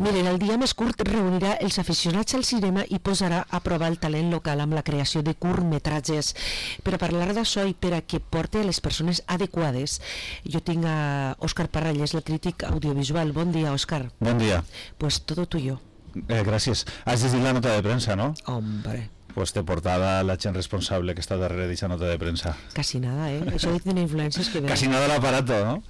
Miren, el dia més curt reunirà els aficionats al cinema i posarà a prova el talent local amb la creació de curtmetratges. Per a parlar d'això i per a que porte a les persones adequades, jo tinc a Òscar Parralles, el crític audiovisual. Bon dia, Òscar. Bon dia. Pues todo tuyo. Gràcies. Has llegit la nota de premsa, no? Hombre. Pues te portada la gent responsable que està darrere d'aquesta nota de premsa. Casi nada, Això de tener influencias que... Casi nada l'aparato, no?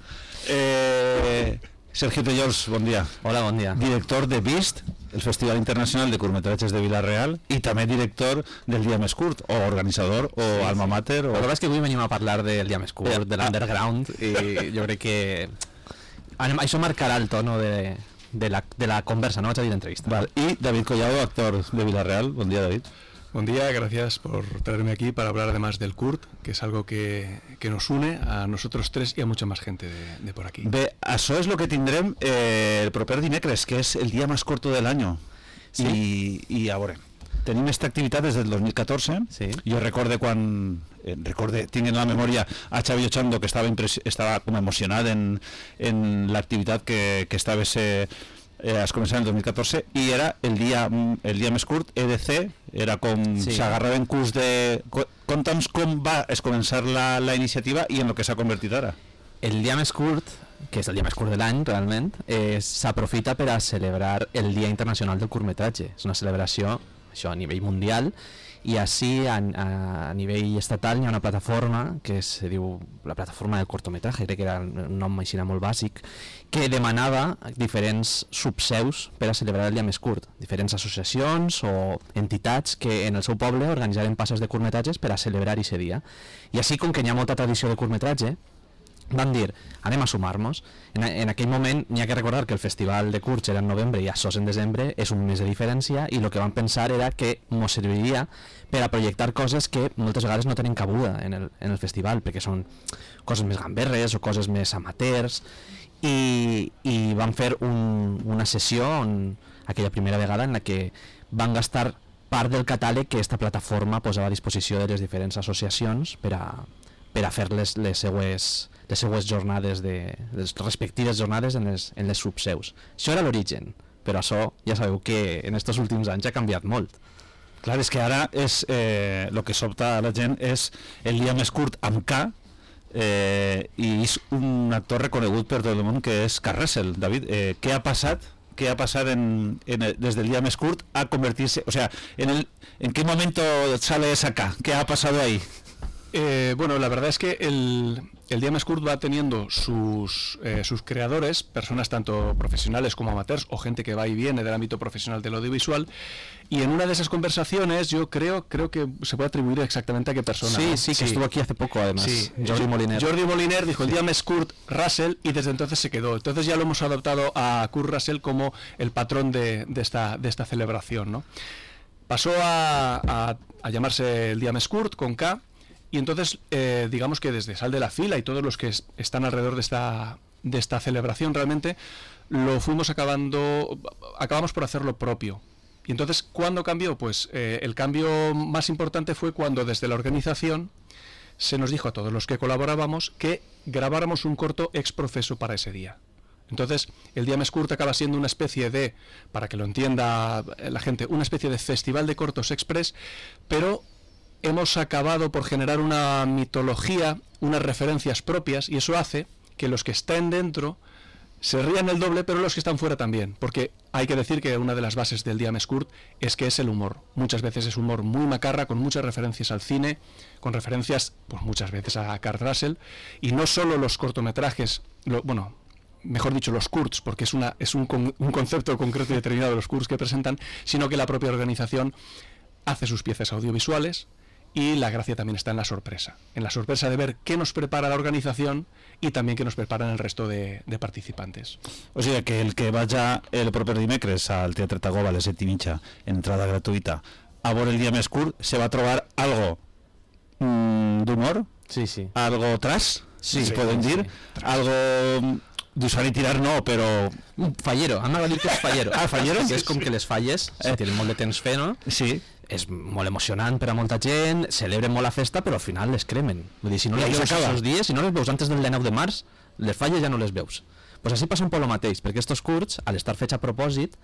Sergio Tellols, bon dia. Hola, bon dia. Director de Vist, el Festival Internacional de Curtmetratges de Vila-real, i també director del Dia Més Curt, o organitzador, o sí, alma mater. O... La veritat és que avui venim a parlar del Dia Més Curt, de l'underground, i jo crec que això marcarà el tono de la conversa, no vaig a dir d'entrevista. Vale. I David Collado, actor de Vila-real. Bon dia, David. Buen día, gracias por traerme aquí para hablar además del CURT, que es algo que nos une a nosotros tres y a mucha más gente de por aquí. Bé, això és el que tindrem el proper dimecres, que és el dia més curt de l'any. Sí. I a veure, tenim aquesta activitat des del 2014. Sí. Jo recorde quan... tinc en la memòria a Xavi Ochando, que estava com emocionat en l'activitat que estava es començava en el 2014 i era el dia més curt, EDC, era com s'agarraven curs de... Conta'ns com va començar la iniciativa i en el que s'ha convertit ara. El dia més curt, que és el dia més curt de l'any realment, s'aprofita per a celebrar el Dia Internacional del Curtmetratge. És una celebració això a nivell mundial, i així a nivell estatal hi ha una plataforma que se diu la plataforma del cortometratge, crec que era un nom així molt bàsic, que demanava diferents subseus per a celebrar el dia més curt, diferents associacions o entitats que en el seu poble organitzaren passes de curtmetratges per a celebrar aquest dia. I així, com que hi ha molta tradició de curtmetratge, van dir, anem a sumar-nos. En aquell moment n'hi ha que recordar que el festival de curts era en novembre i això en desembre, és un mes de diferència, i el que van pensar era que ens serviria per a projectar coses que moltes vegades no tenen cabuda en el festival, perquè són coses més gamberres o coses més amateurs, i van fer una sessió aquella primera vegada en la que van gastar part del catàleg que aquesta plataforma posava a disposició de les diferents associacions per a fer les seues jornades, les respectives jornades en les subseus. Això era l'origen, però això ja sabeu que en aquests últims anys ha canviat molt. Clar, és que ara el que sobta a la gent és el dia més curt amb K, i és un actor reconegut per tot el món, que és Kurt Russell. David, què ha passat des del día más curt a convertirse, o sea, ¿en qué momento sale esa K? ¿Qué ha pasado ahí? Bueno, la verdad es que el Día Més Curt va teniendo sus creadores, personas tanto profesionales como amateurs o gente que va y viene del ámbito profesional del audiovisual, y en una de esas conversaciones yo creo que se puede atribuir exactamente a qué persona. Sí, que estuvo aquí hace poco además. Sí, Jordi Moliner dijo el Día Més Curt Russell y desde entonces se quedó. Entonces ya lo hemos adoptado a Kurt Russell como el patrón de esta celebración, ¿no? Pasó a llamarse el Día Més Curt con K. Y entonces, digamos que desde Sal de la Fila y todos los que están alrededor de esta celebración, realmente acabamos por hacerlo propio. Y entonces, ¿cuándo cambió? Pues el cambio más importante fue cuando desde la organización se nos dijo a todos los que colaborábamos que grabáramos un corto ex profeso para ese día. Entonces, el Día Més Curt acaba siendo una especie de, para que lo entienda la gente, una especie de festival de cortos express, pero hemos acabado por generar una mitología, unas referencias propias, y eso hace que los que estén dentro se rían el doble, pero los que están fuera también, porque hay que decir que una de las bases del Día Més Curt es que es el humor. Muchas veces es humor muy macarra, con muchas referencias al cine, con referencias, pues muchas veces a Kurt Russell, y no solo los cortometrajes, mejor dicho, los curts, porque es un concepto concreto y determinado de los curts que presentan, sino que la propia organización hace sus piezas audiovisuales. Y la gracia también está en la sorpresa de ver qué nos prepara la organización y también qué nos preparan el resto de participantes. O sigui que el que vaya el proper dimecres al Teatre Tagoba a les 7:30, entrada gratuïta, a veure el Dia Més Curt, se va a trobar algo d'humor, sí. Algo trash, sí, poden dir, sí. Algo d'usar i tirar no, però... Fallero, m'ha dit que és fallero. Fallero? Que és com que les falles, si tenen molt de temps fer, no? Sí. És molt emocionant per a molta gent, celebren molt la festa, però al final les cremen. Vull dir, si no les veus aquests dies, si no les veus antes del 19 de març, les falles ja no les veus. Pues així passa un poc el mateix, perquè estos curts, al estar fets a propòsit,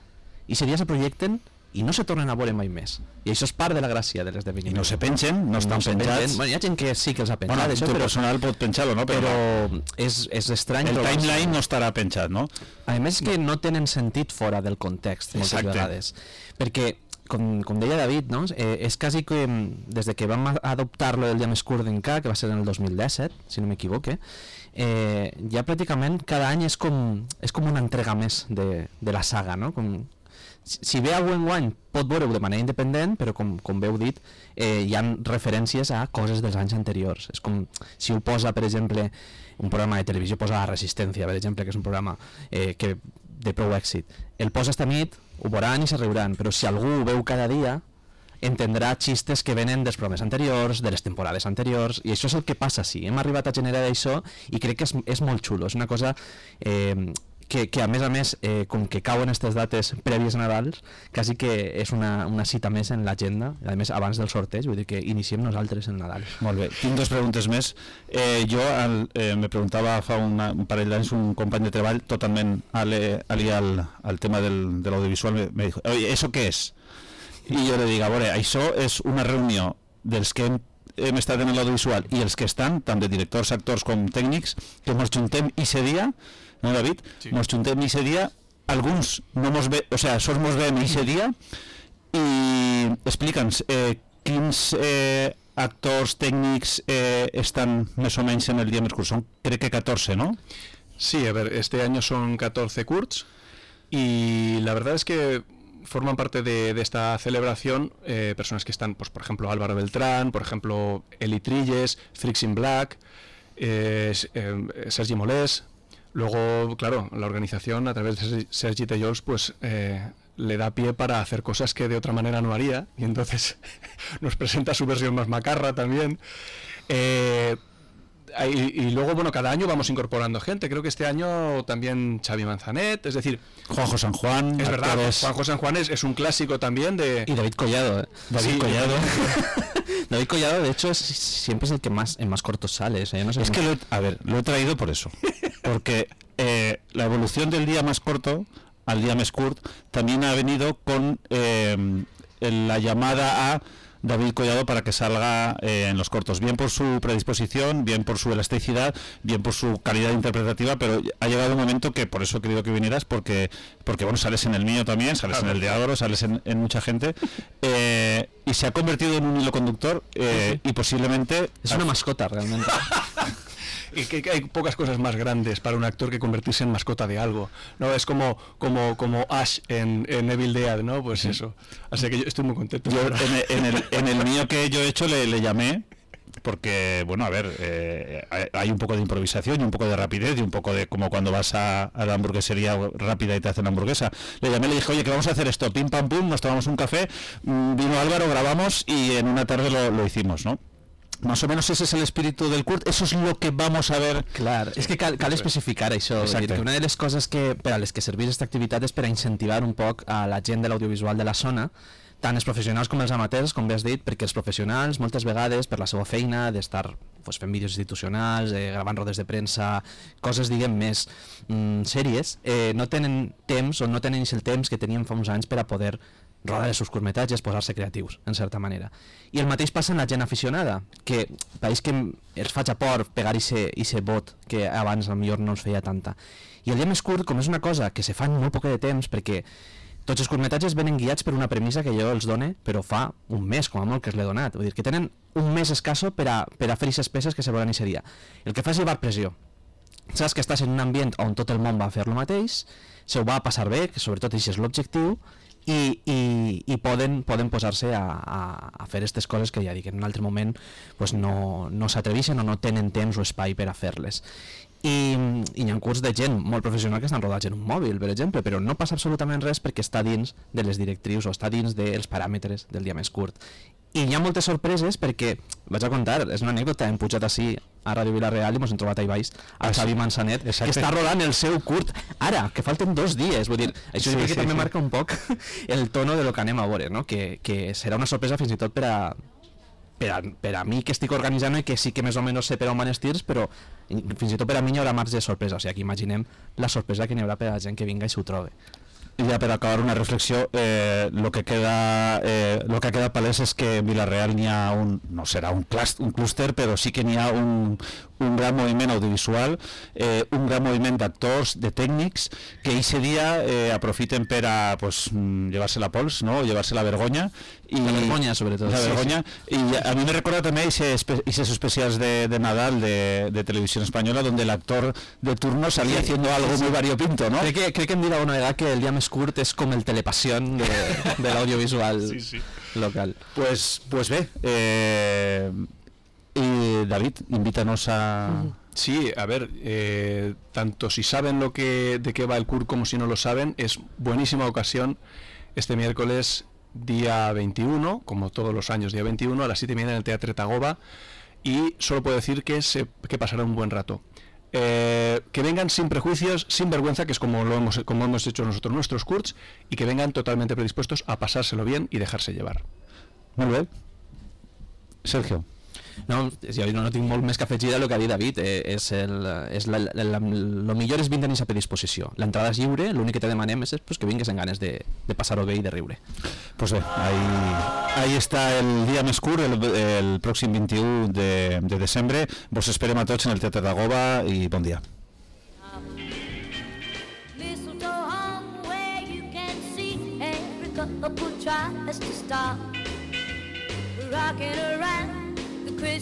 i se dia se projecten i no se tornen a veure mai més. I això és part de la gràcia de l'esdeveniment. I no se pengen, no estan penjats. Bueno, hi ha gent que sí que els ha penjat, bueno, això, tu personal pot penjar-lo, no? Però és estrany. El timeline no estarà penjat, no? A més que no tenen sentit fora del context, moltes vegades. Perquè, com deia David, no? És quasi que des de que vam adoptar lo del dia més curt d'enca, que va ser en el 2017, si no m'equivoque, ja pràcticament cada any és com una entrega més de la saga, no? Si ve algú enguany pot veure-ho de manera independent, però com bé heu dit, hi ha referències a coses dels anys anteriors. És com si ho posa, per exemple, un programa de televisió, posa La Resistència, per exemple, que és un programa de prou èxit. El posa esta nit, ho veuran i se riuran, però si algú ho veu cada dia, entendrà xistes que venen dels programes anteriors, de les temporades anteriors, i això és el que passa, sí. Hem arribat a generar això i crec que és molt xulo. És una cosa que a més, com que cauen aquestes dates prèvies a Nadals, quasi que és una cita més en l'agenda, a més abans del sorteig, vull dir que iniciem nosaltres el Nadal. Molt bé, tinc dues preguntes més. Jo me preguntava fa un parell d'anys un company de treball totalment aliat al tema de l'audiovisual, me dijo, oye, ¿eso qué es? I jo le dic, a veure, això és una reunió dels que hem estat en l'audiovisual i els que estan, tant de directors, actors com tècnics, que ens juntem i se dia, no, David? Sí. Nos juntem i se dia, alguns no mos ve, o sea, sols mos veiem i se dia, i explica'ns quins actors tècnics estan més o menys en el dia més curt. Són, crec que 14, ¿no? Sí, a ver, este año son 14 curts y la verdad es que forman parte de esta celebración personas que están, pues por ejemplo Álvaro Beltrán, por ejemplo Eli Trilles, Freaks in Black, Sergi Molés. Luego, claro, la organización a través de Sergi Tellols pues le da pie para hacer cosas que de otra manera no haría, y entonces nos presenta su versión más macarra también. Y luego, bueno, cada año vamos incorporando gente. Creo que este año también Xavi Manzanet, es decir, Juanjo San Juan. Es verdad, Juanjo San Juan es un clásico también de... Y David Collado, David Collado. David Collado, de hecho, siempre es el que en más cortos sale. O sea, yo no sé es que lo he traído por eso. Porque la evolución del día más corto al día más curt también ha venido con la llamada a David Collado para que salga en los cortos, bien por su predisposición, bien por su elasticidad, bien por su calidad interpretativa, pero ha llegado un momento que por eso he querido que vinieras, porque bueno, sales en el mío también, sales en el de Álvaro, sales en mucha gente, y se ha convertido en un hilo conductor y posiblemente... Es una mascota realmente. Y que hay pocas cosas más grandes para un actor que convertirse en mascota de algo, ¿no? Es como Ash en Evil Dead, ¿no? Pues sí. Eso. Así que yo estoy muy contento. Yo en el mío que yo he hecho le llamé, porque, bueno, a ver, hay un poco de improvisación y un poco de rapidez y un poco de como cuando vas a la hamburguesería rápida y te hacen hamburguesa. Le llamé, le dije, oye, que vamos a hacer esto, pim pam pum, nos tomamos un café, vino Álvaro, grabamos y en una tarde lo hicimos, ¿no? Más o menos ese es el espíritu del curt, eso es lo que vamos a ver. Clar, és que cal especificar això, dir que una de les coses per a les que serveix aquesta activitat és per a incentivar un poc a la gent de l'audiovisual de la zona, tant els professionals com els amateurs, com bé has dit, perquè els professionals moltes vegades per la seva feina d'estar fent vídeos institucionals, gravant rodes de premsa, coses diguem més sèries, no tenen temps o no tenen el temps que tenien fa uns anys per a poder rodar els seus curtmetratges, posar-se creatius, en certa manera. I el mateix passa en la gent aficionada, que pareix que els faig a por pegar ese bot que abans potser no ens feia tanta. I el dia més curt, com és una cosa que se fa en molt poc de temps, perquè tots els curtmetratges venen guiats per una premissa que jo els done, però fa un mes, com a molt, que els l'he donat. Vull dir que tenen un mes escasso per a fer aquestes peces que se volen i seria. El que fa és llevar pressió. Saps que estàs en un ambient on tot el món va fer el mateix, se ho va passar bé, que sobretot això és l'objectiu, i poden posar-se a fer aquestes coses que ja dic, en un altre moment pues no s'atreveixen o no tenen temps o espai per a fer-les. I hi ha curts de gent molt professional que estan rodats en un mòbil, per exemple, però no passa absolutament res perquè està dins de les directrius o està dins dels paràmetres del dia més curt. I hi ha moltes sorpreses perquè, vaig a contar, és una anècdota, hem pujat així a Ràdio Vila-real i ens hem trobat a baix a Xavi Manzanet, que està rodant el seu curt ara, que falten 2 dies, vull dir, això sí, que també marca un poc el tono de lo que anem a veure, no? Que serà una sorpresa fins i tot per per a mi que estic organitzant i que sí que més o menys sé per on van els tirs, però fins i tot per a mi hi haurà marge de sorpresa, o sigui, aquí imaginem la sorpresa que n'hi haurà per a la gent que vinga i s'ho trobi. I ja per acabar una reflexió, lo que ha quedat palès és que en Vila-real n'hi ha no serà un clúster, però sí que n'hi ha un gran moviment audiovisual, un gran moviment d'actors, de tècnics, que aquest dia aprofiten per a llevar-se la pols, no? Llevar-se la vergonya. La vergonya, sobretot. La vergonya. Sí. I a mi me recorda també esos especials de Nadal de Televisión Española, donde el actor de turno salía haciendo algo muy variopinto, ¿no? Crec que hem dit alguna vegada que el dia més curt és com el Telepasión de l'audiovisual local. Pues bé, y David, invítanos a... Sí, a ver, tanto si saben de qué va el CUR como si no lo saben, es buenísima ocasión este miércoles día 21, como todos los años día 21, a las 7:30 en el Teatre Tagoba, y solo puedo decir que pasará un buen rato. Que vengan sin prejuicios, sin vergüenza, que es como hemos hecho nosotros nuestros CURs, y que vengan totalmente predispuestos a pasárselo bien y dejarse llevar. Muy bien. Sergio. No, jo no tinc molt més que afegir del que ha dit David. Lo millor és vindre a aquesta predisposició. L'entrada és lliure, l'únic que te demanem és que vingues en ganes de passar-ho bé i de riure. Pues bé, ahí està el dia més curt, el pròxim 21 de desembre. Vos esperem a tots en el Teatre Tagoba i bon dia. Rocking around